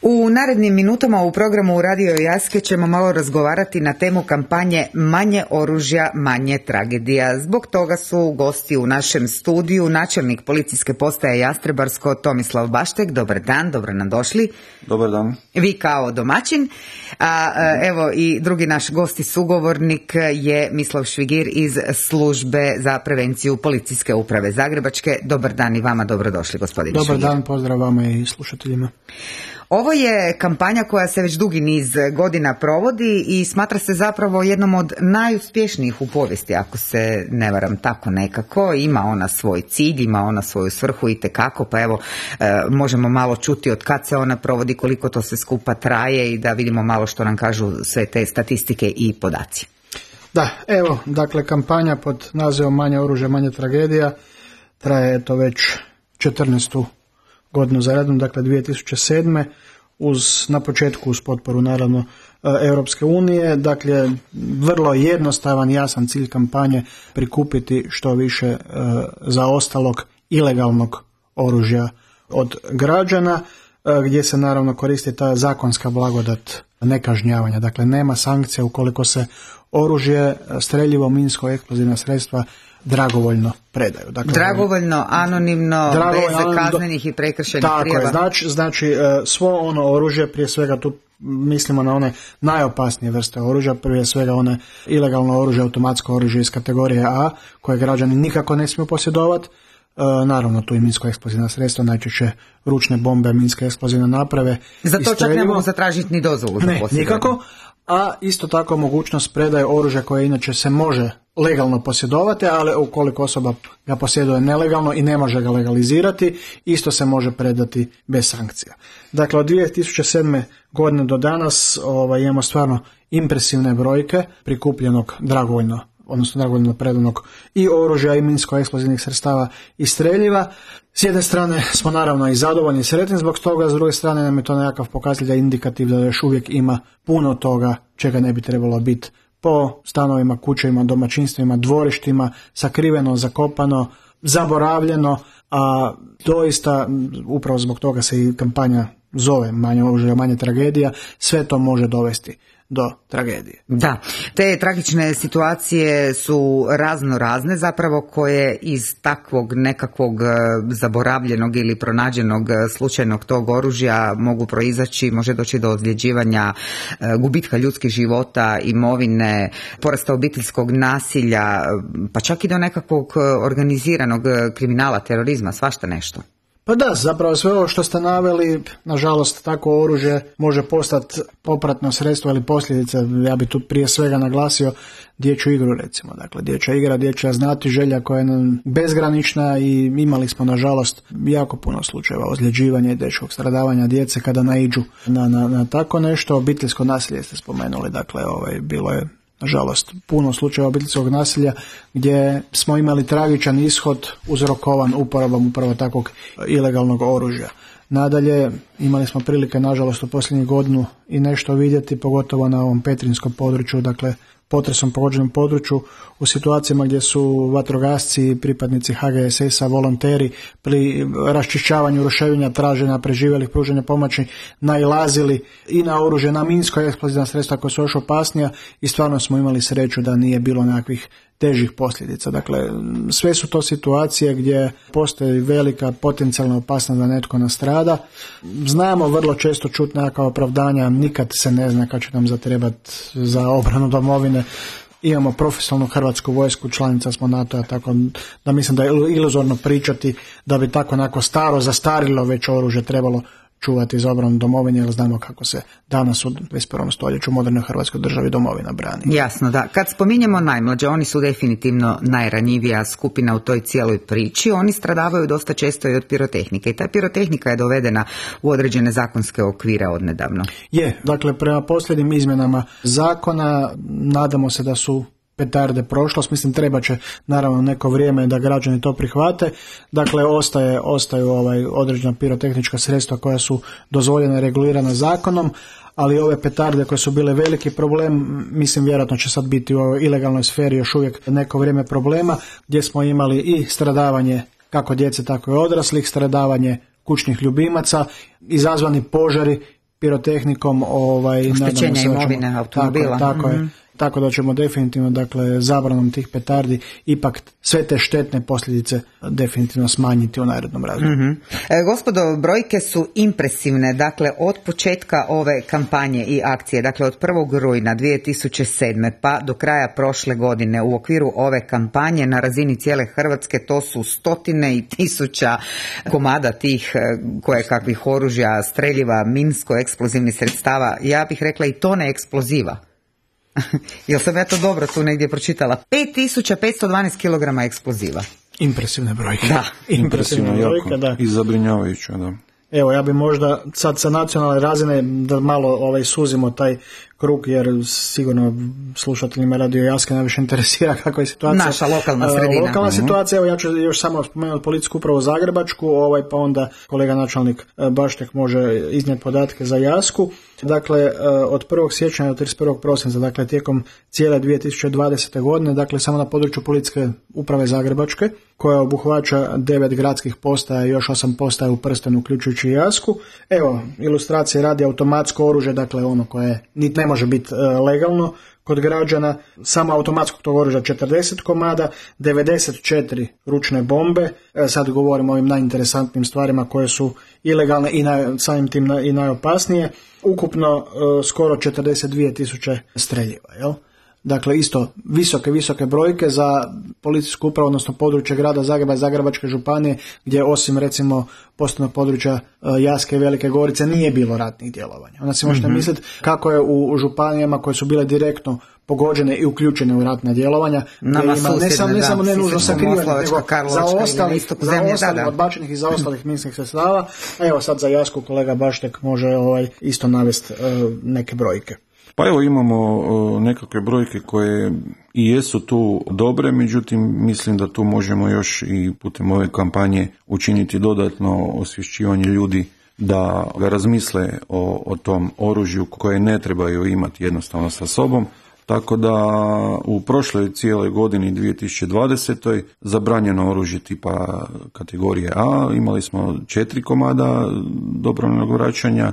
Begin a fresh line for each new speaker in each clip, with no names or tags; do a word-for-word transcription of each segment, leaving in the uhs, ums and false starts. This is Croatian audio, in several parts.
U narednim minutama u programu Radio Jaske ćemo malo razgovarati na temu kampanje Manje oružja, manje tragedija. Zbog toga su gosti u našem studiju načelnik policijske postaje Jastrebarsko Tomislav Baštek. Dobar dan, dobro nam došli.
Dobar dan.
Vi kao domaćin. A evo i drugi naš gost i sugovornik je Mislav Švigir iz službe za prevenciju policijske uprave Zagrebačke. Dobar dan i vama, dobrodošli gospodine
Dobar
Švigir.
dan, pozdrav vama i slušateljima.
Ovo je kampanja koja se već dugi niz godina provodi i smatra se zapravo jednom od najuspješnijih u povijesti, ako se ne varam tako nekako. Ima ona svoj cilj, ima ona svoju svrhu itekako, pa evo možemo malo čuti od kad se ona provodi, koliko to sve skupa traje i da vidimo malo što nam kažu sve te statistike i podaci.
Da, evo, dakle, kampanja pod nazivom Manje oružja, manje tragedija traje to već četrnaestu godinu za redom, dakle dvije tisuće sedme. Uz, na početku uz potporu naravno Europske unije, dakle vrlo jednostavan, jasan cilj kampanje prikupiti što više e, zaostalog ilegalnog oružja od građana, e, gdje se naravno koristi ta zakonska blagodat nekažnjavanja, dakle nema sankcija ukoliko se oružje, streljivo, minsko, eksplozivna sredstva dragovoljno predaju. Dakle,
dragovoljno, anonimno, dragovoljno, bez kaznenih i prekršajnih
tako
prijava.
Tako je, znači, znači svo ono oružje, prije svega tu mislimo na one najopasnije vrste oružja, prije svega one ilegalno oružje, automatsko oružje iz kategorije A, koje građani nikako ne smiju posjedovati. E, naravno tu i minsko-eksplozivna sredstva, najčešće ručne bombe, minske eksplozivne naprave.
Za to čak ne mogu zatražiti ni dozvolu.
Ne, nikako. A isto tako mogućnost predaje oružja koje inače se može legalno posjedovati, ali ukoliko osoba ga posjeduje nelegalno i ne može ga legalizirati, isto se može predati bez sankcija. Dakle, od dvije tisuće sedme godine do danas ovaj, imamo stvarno impresivne brojke prikupljenog dragovoljno, odnosno dragovoljno predanog i oružja i minsko-eksplozivnih sredstava i streljiva. S jedne strane smo naravno i zadovoljni i sretni zbog toga, s druge strane nam je to nekakav pokazatelj indikativ da još uvijek ima puno toga čega ne bi trebalo biti po stanovima, kućama, domaćinstvima, dvorištima, sakriveno, zakopano, zaboravljeno, a doista upravo zbog toga se i kampanja zove Manje oružja, manje tragedija, sve to može dovesti do tragedije.
Da, te tragične situacije su razno razne zapravo koje iz takvog nekakvog zaboravljenog ili pronađenog slučajnog tog oružja mogu proizaći, može doći do ozljeđivanja, gubitka ljudskih života, imovine, porasta obiteljskog nasilja, pa čak i do nekakvog organiziranog kriminala, terorizma, svašta nešto.
Pa da, zapravo sve ovo što ste naveli, nažalost, tako oružje može postati popratno sredstvo ili posljedica, ja bi tu prije svega naglasio dječju igru recimo. Dakle, dječja igra, dječja znatiželja koja je bezgranična i imali smo nažalost jako puno slučajeva ozljeđivanja i teškog stradavanja djece kada naiđu na, na, na tako nešto. Obiteljsko nasilje ste spomenuli, dakle ovaj, bilo je nažalost puno slučajeva obiteljskog nasilja gdje smo imali tragičan ishod uzrokovan uporabom upravo takvog ilegalnog oružja. Nadalje, imali smo prilike nažalost u posljednjih godinu i nešto vidjeti, pogotovo na ovom petrinjskom području, dakle potresom pogođenom području, u situacijama gdje su vatrogasci, pripadnici H G S S-a, volonteri pri raščišćavanju ruševina, traženja preživjelih, pružanja pomoći nailazili i na oružje, na minsko eksplozivna sredstva koja su još opasnija i stvarno smo imali sreću da nije bilo nekakvih težih posljedica. Dakle, sve su to situacije gdje postoji velika potencijalna opasnost da netko nastrada. Znamo vrlo često čuti nekakva opravdanja, nikad se ne zna kad će nam zatrebati za obranu domovine. Imamo profesionalnu hrvatsku vojsku, članica smo NATO-a, tako da mislim da je iluzorno pričati da bi tako onako staro, zastarilo već oružje trebalo čuvati za obranu domovine, jer znamo kako se danas u dvadeset prvom stoljeću u modernoj hrvatskoj državi domovina brani.
Jasno, da. Kad spominjemo najmlađe, oni su definitivno najranjivija skupina u toj cijeloj priči. Oni stradavaju dosta često i od pirotehnike i ta pirotehnika je dovedena u određene zakonske okvire odnedavno.
Je, dakle prema posljednjim izmjenama zakona nadamo se da su petarde prošlost, mislim treba će naravno neko vrijeme da građani to prihvate, dakle ostaje, ostaju ovaj određena pirotehnička sredstva koja su dozvoljena i regulirana zakonom, ali ove petarde koje su bile veliki problem, mislim vjerojatno će sad biti u ovoj ilegalnoj sferi još uvijek neko vrijeme problema, gdje smo imali i stradavanje kako djece tako i odraslih, stradavanje kućnih ljubimaca, izazvani požari pirotehnikom, ovaj,
oštećenja imovine automobila.
Tako, tako
mm-hmm.
je. Tako da ćemo definitivno, dakle, zabranom tih petardi ipak sve te štetne posljedice definitivno smanjiti u narednom razdoblju.
Mm-hmm. E, gospodo, brojke su impresivne. Dakle, od početka ove kampanje i akcije, dakle od prvog rujna dvije tisuće sedme pa do kraja prošle godine u okviru ove kampanje na razini cijele Hrvatske to su stotine i tisuća komada tih koje kakvih oružja, streljiva, minsko-eksplozivnih sredstava. Ja bih rekla i tone eksploziva. Jel sam ja to dobro tu negdje pročitala? pet tisuća petsto dvanaest kilograma eksploziva.
Impresivne brojke.
Da.
Impresivne brojke, da.
I zabrinjavajuće, da.
Evo, ja bi možda sad sa nacionalne razine da malo ovaj, suzimo taj krug, jer sigurno slušateljima Radio Jaske najviše interesira kakva je situacija.
Naša lokalna sredina.
Lokalna uh-huh. situacija, evo ja ću još samo spomenuti policijsku upravu Zagrebačku, ovaj, pa onda kolega načelnik Baštek može iznijeti podatke za Jasku. Dakle, od prvog siječnja do trideset prvog prosinca, dakle tijekom cijele dvije tisuće dvadesete godine, dakle samo na području policijske uprave Zagrebačke, koja obuhvaća devet gradskih postaja i još osam postaja u prstenu, uključujući i Jasku. Evo, ilustracije radi automatsko oružje, dakle ono koje niti ne može biti legalno kod građana, samo automatskog tog oružja četrdeset komada, devedeset četiri ručne bombe, sad govorimo o ovim najinteresantnijim stvarima koje su ilegalne i naj, samim tim na, i najopasnije, ukupno uh, skoro četrdeset dvije tisuće streljiva, jel? Dakle, isto visoke, visoke brojke za policijsku upravu, odnosno područje grada Zagreba i Zagrebačke županije, gdje osim recimo posebnog područja Jaske i Velike Gorice nije bilo ratnih djelovanja. Onda si možete mm-hmm. misliti kako je u županijama koje su bile direktno pogođene i uključene u ratna djelovanja,
Nama
ima, ne samo ne, samo ne nužno sakrivanje, nego za ostalih, za ostalih odbačenih i za ostalih minskih sredstava. Evo sad za Jasku kolega Baštek može ovaj isto navesti uh, neke brojke.
Pa evo imamo nekakve brojke koje i jesu tu dobre, međutim mislim da tu možemo još i putem ove kampanje učiniti dodatno osvješćivanje ljudi da ga razmisle o, o tom oružju koje ne trebaju imati jednostavno sa sobom. Tako da u prošloj cijeloj godini dvije tisuće dvadesete zabranjeno oružje tipa kategorije A, imali smo četiri komada dobrovoljnog vraćanja,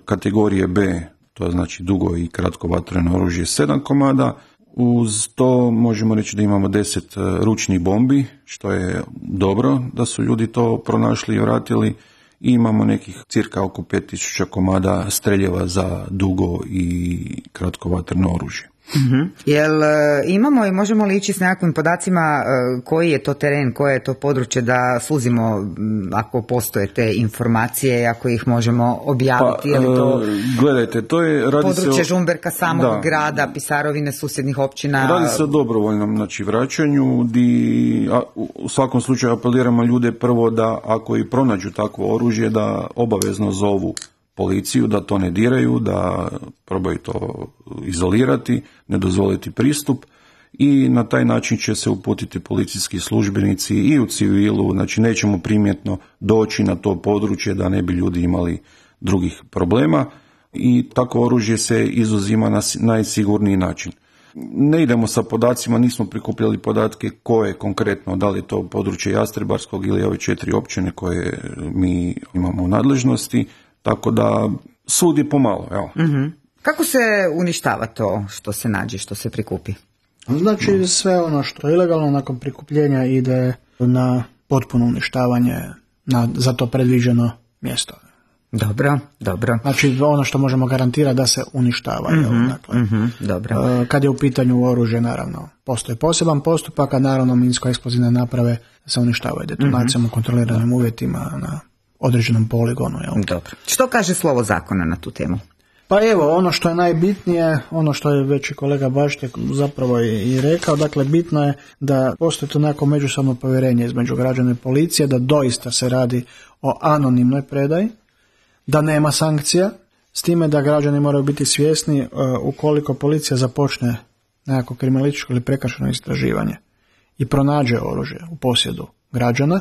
kategorije B, to znači dugo i kratko vatreno oružje sedam komada. Uz to možemo reći da imamo deset ručnih bombi, što je dobro da su ljudi to pronašli i vratili. I imamo nekih cirka oko pet tisuća komada streljeva za dugo i kratko vatreno oružje.
Mm-hmm. Jel e, imamo i možemo li ići s nekakvim podacima e, koji je to teren, koje je to područje da suzimo m, ako postoje te informacije, ako ih možemo objaviti?
Pa,
je li to
gledajte, to je radi
područje
se o,
Žumberka samog
da,
grada, Pisarovine, susjednih općina?
Radi se o dobrovoljnom znači, vraćanju, di a, u svakom slučaju apeliramo ljude prvo da ako i pronađu takvo oružje da obavezno zovu policiju, da to ne diraju, da probaju to izolirati, ne dozvoliti pristup i na taj način će se uputiti policijski službenici i u civilu, znači nećemo primjetno doći na to područje da ne bi ljudi imali drugih problema i tako oružje se izuzima na najsigurniji način. Ne idemo sa podacima, nismo prikupljali podatke koje konkretno, da li je to područje Jastrebarskog ili ove četiri općine koje mi imamo u nadležnosti, tako da sudi pomalo. Evo.
Mm-hmm. Kako se uništava to što se nađe, što se prikupi?
Znači no. sve ono što je ilegalno nakon prikupljenja ide na potpuno uništavanje na za to predviđeno mjesto.
Dobro, dobro.
Znači ono što možemo garantirati da se uništava.
Mm-hmm,
dakle,
mm-hmm, dobro.
Kad je u pitanju oružje, naravno, postoji poseban postupak, a naravno minsko-eksplozivne naprave se uništavaju detonacijom mm-hmm. u kontroliranim uvjetima na određenom poligonu. Jel?
Dobro. Što kaže slovo zakona na tu temu?
Pa evo, ono što je najbitnije, ono što je već i kolega Baštek zapravo i, i rekao, dakle bitno je da postoji to neko međusobno povjerenje između građana i policije, da doista se radi o anonimnoj predaji, da nema sankcija, s time da građani moraju biti svjesni uh, ukoliko policija započne nekako kriminalističko ili prekršajno istraživanje i pronađe oružje u posjedu građana,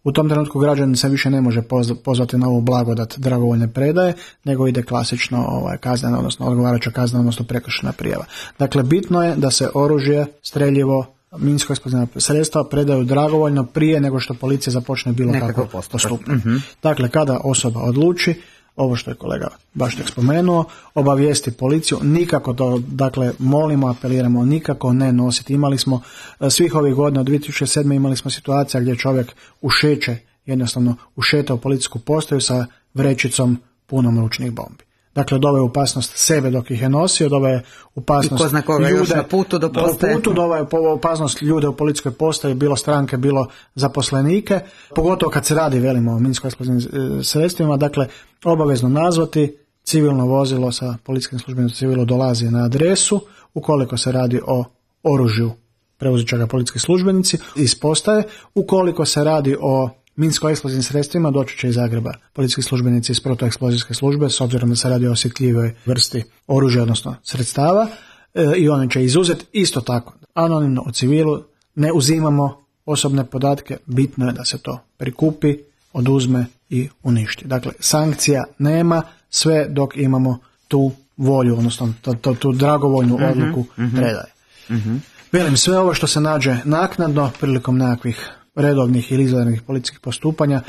u tom trenutku građanin se više ne može pozvati na ovu blagodat dragovoljne predaje, nego ide klasično ovaj, kaznena, odnosno odgovarajuća kaznena, odnosno prekršajna prijava. Dakle, bitno je da se oružje, streljivo, minsko-eksplozivna sredstva predaju dragovoljno prije nego što policija započne bilo kako postupati.
Mm-hmm.
Dakle, kada osoba odluči, ovo što je kolega Baštek spomenuo, obavijesti policiju, nikako to, dakle, molimo, apeliramo, nikako ne nositi. Imali smo svih ovih godina, od dvije tisuće sedme imali smo situacija gdje čovjek ušeće, jednostavno ušeta u policijsku postaju sa vrećicom punom ručnih bombi. Dakle, doveo je opasnost sebe dok ih je nosio, doveo je opasnost ljude
na putu do postaje.
putu, doveo je opasnost ljude u policijskoj postaji, bilo stranke, bilo zaposlenike, pogotovo kad se radi, velimo, o minsko-eksplozivnim sredstvima. Dakle, obavezno nazvati, civilno vozilo sa policijskim službenicima civilo dolazi na adresu, ukoliko se radi o oružju preuzet će ga policijski službenici iz postaje, ukoliko se radi o minsko-eksplozivnim sredstvima doći će iz Zagreba policijski službenici iz protueksplozijske službe, s obzirom da se radi o osjetljivoj vrsti oružja, odnosno sredstava, e, i oni će izuzeti isto tako. Anonimno u civilu ne uzimamo osobne podatke, bitno je da se to prikupi, oduzme i uništi. Dakle, sankcija nema sve dok imamo tu volju, odnosno tu, tu, tu dragovoljnu odluku uh-huh, uh-huh. predaje. Uh-huh. Velim, sve ovo što se nađe naknadno prilikom nekakvih redovnih ili izvanrednih policijskih postupanja,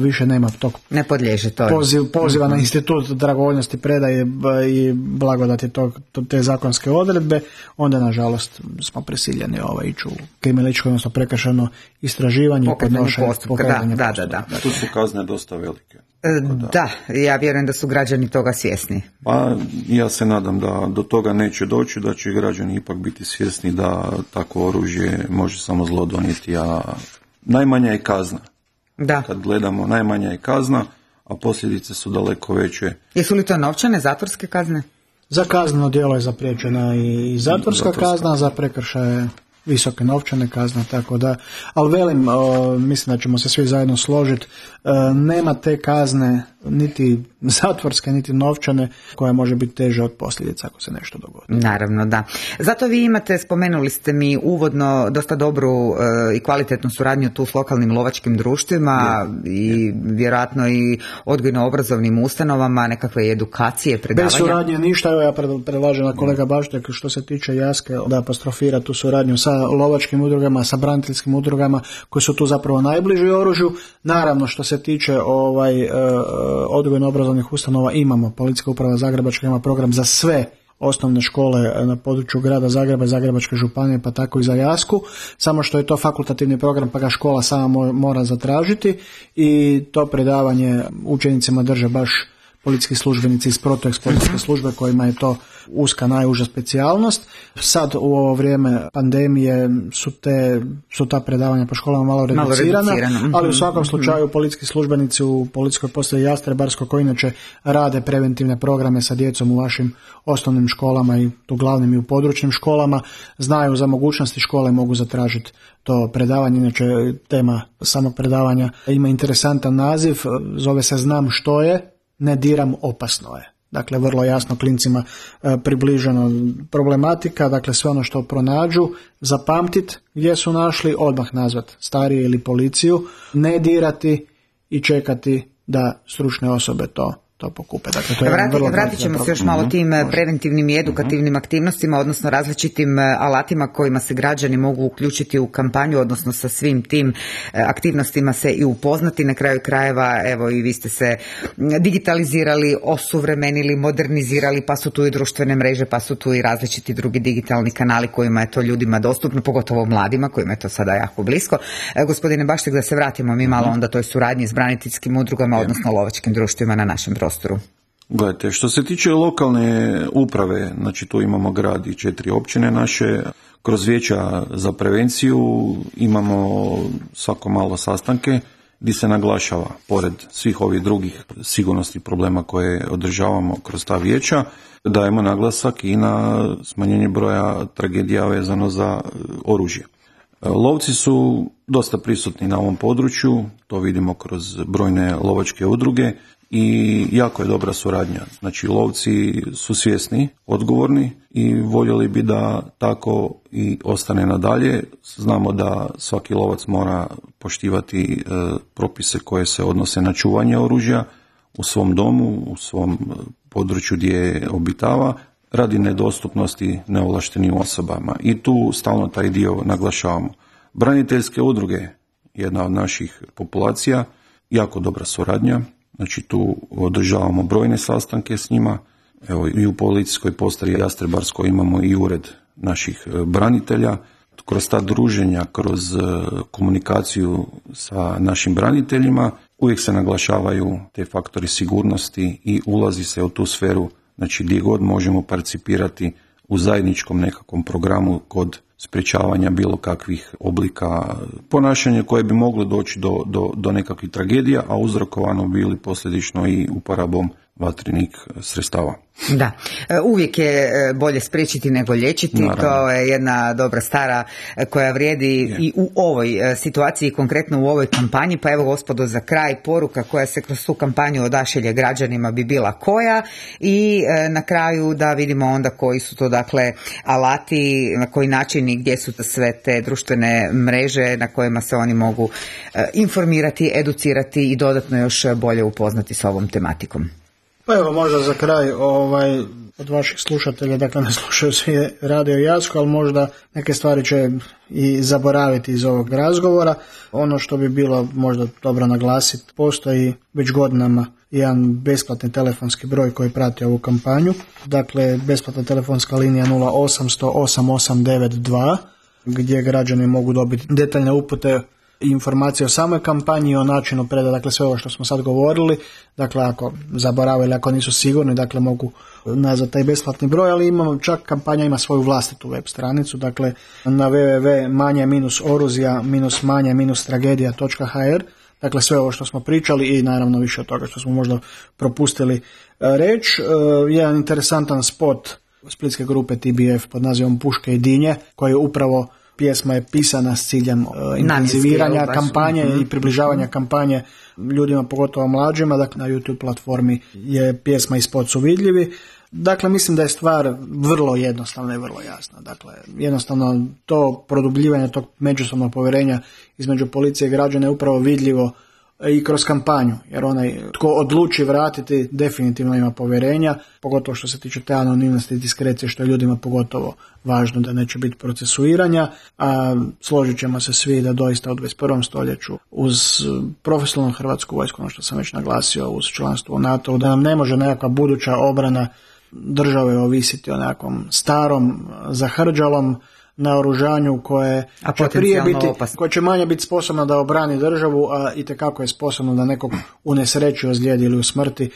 više nema tog
ne podliježe to
poziv, poziva mm-hmm. na institut dragovoljnosti predaje i blagodati tog, te zakonske odredbe, onda nažalost smo prisiljeni ovaj, ići u kriminalističko, odnosno prekršajno istraživanje i podnošenje
postupka. Da, da, da, da.
Tu su kazne dosta velike.
Da. da, ja vjerujem da su građani toga svjesni.
Pa ja se nadam da do toga neće doći, da će građani ipak biti svjesni da takvo oružje može samo zlo donijeti, a najmanja je kazna.
Da.
Kad gledamo, najmanja je kazna, a posljedice su daleko veće.
Jesu li to novčane, zatvorske kazne?
Za kazneno djelo je zapriječena i zatvorska, zatvorska. kazna, za prekršaje visoke novčane kazne, tako da, ali velim, o, mislim da ćemo se svi zajedno složiti, e, nema te kazne, niti zatvorske, niti novčane, koja može biti teža od posljedica ako se nešto dogodi.
Naravno, da. Zato vi imate, spomenuli ste mi uvodno, dosta dobru e, i kvalitetnu suradnju tu s lokalnim lovačkim društvima je, i je. vjerojatno i odgojno-obrazovnim ustanovama, nekakve edukacije, predavanja.
Bez suradnje ništa, evo ja predlažem na kolega Baštek što se tiče Jaske da apostrofira tu suradnju sa lovačkim udrugama, sa braniteljskim udrugama koji su tu zapravo najbliži oružju. Naravno, što se tiče ovaj e, odgojno-obrazovnih ustanova, imamo Policijska uprava Zagrebačka ima program za sve osnovne škole na području grada Zagreba i Zagrebačke županije, pa tako i za Jasku, samo što je to fakultativni program pa ga škola sama mora zatražiti i to predavanje učenicima drže baš policijski službenici iz protueksplozijske službe kojima je to uska najuža specijalnost. Sad u ovo vrijeme pandemije su, te, su ta predavanja po školama malo reducirana, ali u svakom slučaju policijski službenici u policijskoj postaji Jastrebarsko koji inače rade preventivne programe sa djecom u vašim osnovnim školama i u glavnim i u područnim školama, znaju za mogućnosti škole, mogu zatražiti to predavanje. Inače tema samog predavanja ima interesantan naziv, zove se Znam što je, ne diram, opasno je. Dakle, vrlo jasno klincima e, približeno problematika, dakle sve ono što pronađu, zapamtit gdje su našli, odmah nazvat starije ili policiju, ne dirati i čekati da stručne osobe to to pokupe. Dakle, to je
Vrati,
vrlo
vratit ćemo se još malo tim uh-huh. preventivnim i edukativnim uh-huh. aktivnostima, odnosno različitim alatima kojima se građani mogu uključiti u kampanju, odnosno sa svim tim aktivnostima se i upoznati. Na kraju krajeva, evo i vi ste se digitalizirali, osuvremenili, modernizirali, pa su tu i društvene mreže, pa su tu i različiti drugi digitalni kanali kojima je to ljudima dostupno, pogotovo mladima kojima je to sada jako blisko. E, gospodine Baštek, da se vratimo mi malo uh-huh. onda toj suradnji s braniteljskim udrugama, yeah. odnosno lovačkim društvima na našem prostoru.
Gledajte, što se tiče lokalne uprave, znači tu imamo grad i četiri općine naše, kroz vijeća za prevenciju imamo svako malo sastanke gdje se naglašava, pored svih ovih drugih sigurnosnih problema koje održavamo kroz ta vijeća, dajemo naglasak i na smanjenje broja tragedija vezano za oružje. Lovci su dosta prisutni na ovom području, to vidimo kroz brojne lovačke udruge i jako je dobra suradnja. Znači, lovci su svjesni, odgovorni i voljeli bi da tako i ostane nadalje. Znamo da svaki lovac mora poštivati e, propise koje se odnose na čuvanje oružja u svom domu, u svom području gdje obitava, radi nedostupnosti neovlaštenim osobama. I tu stalno taj dio naglašavamo. Braniteljske udruge, jedna od naših populacija, jako dobra suradnja. znači tu održavamo brojne sastanke s njima. Evo, i u policijskoj postaji Jastrebarskoj imamo i ured naših branitelja. Kroz ta druženja, kroz komunikaciju sa našim braniteljima uvijek se naglašavaju te faktori sigurnosti i ulazi se u tu sferu, znači gdje god možemo participirati u zajedničkom nekakvom programu kod sprječavanja bilo kakvih oblika ponašanja koje bi moglo doći do, do, do nekakvih tragedija, a uzrokovano bili posljedično i uporabom vatrenih sredstava.
Da, uvijek je bolje spriječiti nego liječiti. Naravno. To je jedna dobra stara koja vrijedi je. I u ovoj situaciji, konkretno u ovoj kampanji. Pa evo, gospodo, za kraj poruka koja se kroz tu kampanju odašilje građanima bi bila koja, i na kraju da vidimo onda koji su to, dakle, alati, na koji način i gdje su sve te društvene mreže na kojima se oni mogu informirati, educirati i dodatno još bolje upoznati s ovom tematikom.
Pa evo, možda za kraj, ovaj, od vaših slušatelja, dakle ne slušaju svi Radio Jasko, ali možda neke stvari će i zaboraviti iz ovog razgovora. Ono što bi bilo možda dobro naglasiti, postoji već godinama jedan besplatni telefonski broj koji prati ovu kampanju. Dakle, besplatna telefonska linija nula osamsto osam osam devet dva, gdje građani mogu dobiti detaljne upute i informacije o samoj kampanji i o načinu predaje, dakle sve ovo što smo sad govorili. Dakle, ako zaborave ili ako nisu sigurni, dakle mogu nazvati taj besplatni broj, ali imamo, čak kampanja ima svoju vlastitu web stranicu, dakle na w w w točka manje oruzija manje tragedija točka h r. Dakle, sve ovo što smo pričali i naravno više od toga što smo možda propustili reći. Jedan interesantan spot splitske grupe T B F pod nazivom Puške i dinje, koji je upravo, pjesma je pisana s ciljem uh, intenziviranja kampanje mm-hmm. i približavanja kampanje ljudima, pogotovo mlađima. Dakle, na YouTube platformi je pjesma i spot su vidljivi. Dakle, mislim da je stvar vrlo jednostavna i vrlo jasna. Dakle, jednostavno to produbljivanje tog međusobnog povjerenja između policije i građana je upravo vidljivo i kroz kampanju, jer onaj tko odluči vratiti definitivno ima povjerenja, pogotovo što se tiče te anonimnosti i diskrecije, što je ljudima pogotovo važno, da neće biti procesuiranja, a složit ćemo se svi da doista u dvadeset prvom stoljeću uz profesionalnu hrvatsku vojsku, ono što sam već naglasio, uz članstvo u NATO, da nam ne može nekakva buduća obrana države ovisiti o nekakvom starom zahrđalom naoružanju koje će prije biti, koje će manje biti sposobno da obrani državu, a itekako je sposobno da nekog unesreći, ozlijedi ili usmrti.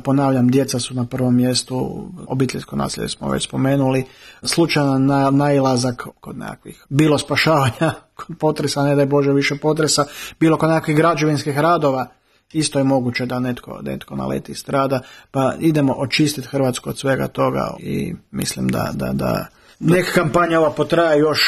Ponavljam, djeca su na prvom mjestu, obiteljsko nasilje smo već spomenuli, slučajan na, nailazak kod nekakvih, bilo spašavanja kod potresa, ne daj Bože više potresa, bilo kod nekakvih građevinskih radova, isto je moguće da netko, netko naleti i strada, pa idemo očistiti Hrvatsku od svega toga i mislim da, da, da neka kampanja ova potraje još,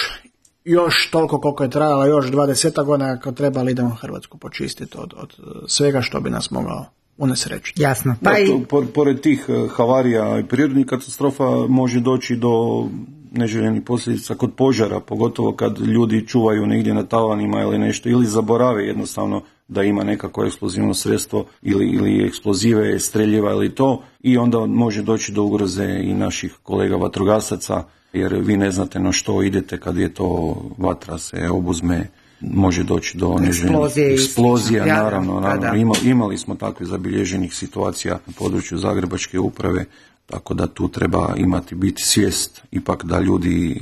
još toliko koliko je trajala, još dvadeset godina ako treba, ali idemo Hrvatsku počistiti od, od svega što bi nas mogao unesrećiti.
Jasno.
Pa i... to, pored tih havarija i prirodnih katastrofa može doći do neželjenih posljedica kod požara, pogotovo kad ljudi čuvaju negdje na tavanima ili nešto, ili zaborave jednostavno da ima nekako eksplozivno sredstvo ili, ili eksplozive, streljiva ili to, i onda može doći do ugroze i naših kolega vatrogasaca, jer vi ne znate na što idete kad je to vatra se obuzme, može doći do neželjenih eksplozija, ja, naravno, naravno. Ima, imali smo takvih zabilježenih situacija na području Zagrebačke uprave, tako da tu treba imati biti svijest ipak da ljudi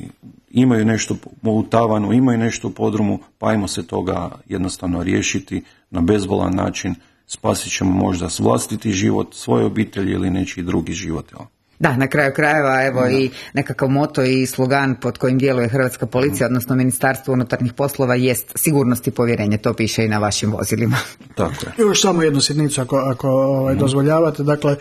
imaju nešto u tavanu, imaju nešto u podrumu, pa ajmo se toga jednostavno riješiti na bezbolan način, spasit ćemo možda vlastiti život, svoje obitelji ili nečiji drugi život. Jel?
Da, na kraju krajeva, evo, da, i nekakav moto i slogan pod kojim djeluje Hrvatska policija, odnosno Ministarstvo unutarnjih poslova, jest sigurnost i povjerenje. To piše i na vašim vozilima.
Tako je.
Još samo jednu sitnicu ako, ako ovaj, dozvoljavate. Dakle,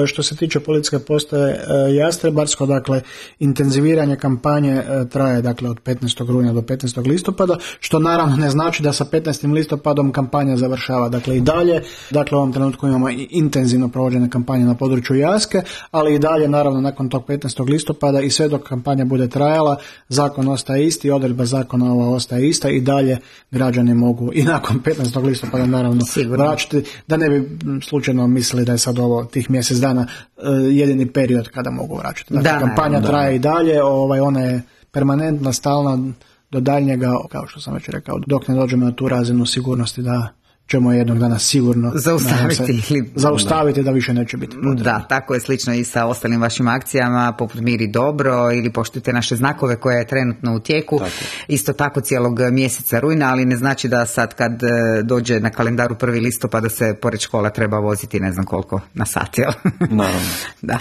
što se tiče policijske postaje Jastrebarsko, dakle, intenziviranje kampanje traje, dakle, od petnaestog rujna do petnaestog listopada, što naravno ne znači da sa petnaestim listopadom kampanja završava. Dakle, i dalje, dakle, u ovom trenutku imamo i intenzivno provođene kampanje na području Jaske, ali i dalje, naravno, nakon tog petnaestog listopada i sve dok kampanja bude trajala, zakon ostaje isti, odredba zakona ova ostaje ista i dalje građani mogu i nakon petnaestog listopada naravno vraćati, da ne bi slučajno mislili da je sad ovo tih mjesec dana uh, jedini period kada mogu vraćati. Dakle, da, kampanja da, traje da. i dalje, ovaj, ona je permanentna, stalna do daljnjega, kao što sam već rekao, dok ne dođemo na tu razinu sigurnosti da ćemo jednog dana sigurno
zaustaviti,
se, ili, zaustaviti da više neće biti potrebno.
Da, tako je slično i sa ostalim vašim akcijama, poput Miri dobro ili poštujte naše znakove koje je trenutno u tijeku. Tako. Isto tako cijelog mjeseca rujna, ali ne znači da sad kad dođe na kalendaru prvi listopada se pored škola treba voziti ne znam koliko na sat, jel?
Naravno.
Da.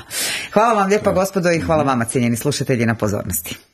Hvala vam lijepa gospodo i hvala vama cijenjeni slušatelji na pozornosti.